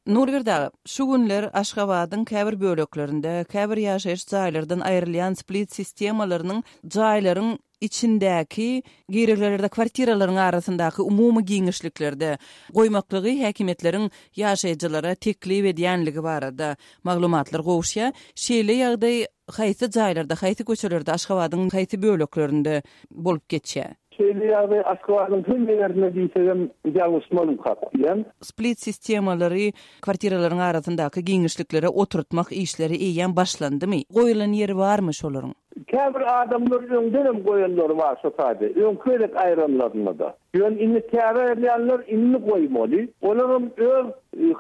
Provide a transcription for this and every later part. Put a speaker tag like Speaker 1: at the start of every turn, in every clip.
Speaker 1: Nurberdi aga, şu günler Aşgabadyň käbir böleklerinde, käbir ýaşaýyş jaýlardan aýrylýan split sistemalarynyň jaýlaryň içindäki girelgelerde, kwartiralaryň arasyndaky umumy giňişliklerde goýmaklygy häkimiýetleriň ýaşaýjylara teklip edýänligi barada maglumatlar gowuşýar. Şeýle ýagdaý haýsy jaýlarda, haýsy köçelerde, Aşgabadyň haýsy böleklerinde bolup geçýär?
Speaker 2: Şeýle ýagdaý Aşgabadyň hemme ýerinde diýsegem ýalňyşmarymkak diýýän.
Speaker 1: Split sistemalary kwartiralaryň arasyndaky giňişliklere oturtmak işleri eýýäm başlandymy? Goýulan ýeri barmy şolaryň?
Speaker 2: Käbir adamlar öňdenem goýanlary bar şo taýda, öňki gezek aýranlarynda-da. Ýöne indi täze aýyrýanlar indi goýmaly. Olaram öz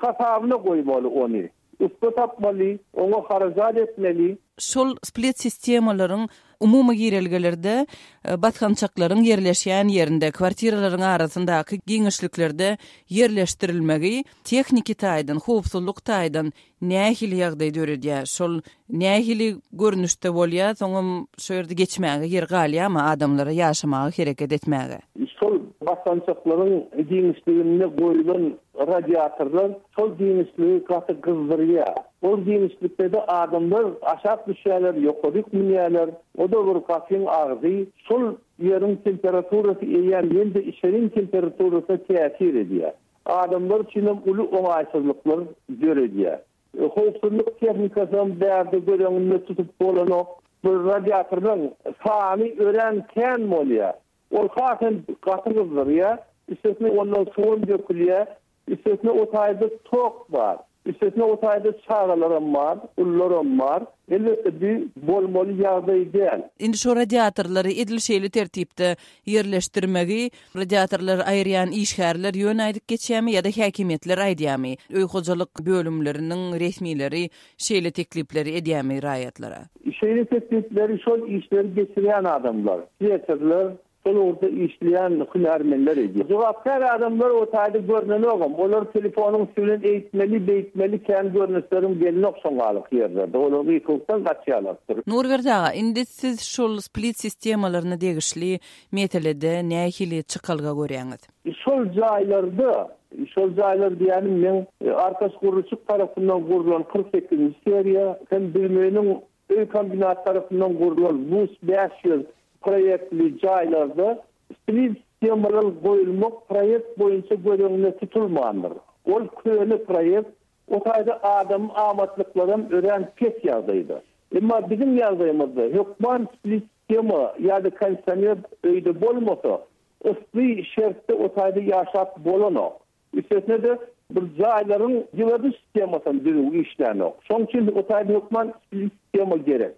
Speaker 2: hasabyna goýmaly ony. Ussa tapmaly, oňa harajat etmeli.
Speaker 1: Şol split sistemalaryň umumy girelgelerde, basgançaklaryň ýerleşýän ýerinde, kwartiralaryň arasyndaky giňişliklerde ýerleşdirilmegi tehniki taýdan, howpsuzlyk taýdan nähili ýagdaý döredýär? Şol nähili görnüşde bolýar? Soňam şo ýerde geçmäge ýer galýarmy adamlara ýaşamaga, hereket etmäge?
Speaker 2: Şol basgançaklaryň giňişliginde goýlan radiatorlar şol giňişligi gaty gyzdyrýar. Ol giňişlikde-de adamlar aşak düşýärler, ýokaryk münýärler. O-da bir gapyň agzy. Şol ýeriň temperaturasy eýýäm ýene-de içeriň temperaturasyna täsir edýär. Adamlar üçinem uly oňaýsyzlyklar döredýär. Howpsuzlyk tehnikasam bärde göz öňünde tutup bolanok. Bu radiatorlaryň sany örän kän bolýar. Ol has hem gaty gyzdyrýar. Üstesine ondan suwam dökülýär. Üstesine o taýda tok bar. Üstesine o taýda çagalaram bar, ulularam bar. Elbetde bu bolmaly ýagdaý däl.
Speaker 1: Indi şo radiatorlary edil şeýle tertipde ýerleşdirmegi radiatorlary aýyrýan işgärler ýöne aýdyp geçýärmi ýa-da häkimiýetler aýdýarmy? Öý hojalyk bölümleriniň resmileri şeýle teklipleri edýärmi raýatlara?
Speaker 2: Şeýle teklipleri şol işleri geçirýän adamlar, sleserler, Şol ugurda işleýän hünärmenler edýär. Jogapkär adamlar o taýda görnenogam. Olar telefonyň üsti bilen eýtmeli, beýtmeli kän görnüşleriň gelinok şoňalyk ýerlerde. Olar gykylyk-dan gaçýarlardyr.
Speaker 1: Nurberdi aga, indi siz şol split sistemalaryna degişli meselede nähili çykalga görýäňiz?
Speaker 2: Şol jaýlarda, şol jaýlar diýýänim meň Arkaç gurluşyk tarapyndan gurlan 48-nji seriýa hem Büzmeýiniň Öý kombinat tarapyndan gurlan Bus 500 proýektli jaýlarda split sistemalar goýulmak proýekt boýunça göz öňünde tutulmandyr. Ol köne proýekt, o taýda adamyň amatlyklaram örän pes ýagdaýda. Emma biziň ýagdaýymyzda hökman split sistema ýa-da kondisioner öýde bolmasa, yssy şertde o taýda ýaşap bolanok. Üstesine-de, bir jaýlaryň ýyladyş sistemasam düzüw işlänok. Şoň üçin o taýda hökman split sistema gerek.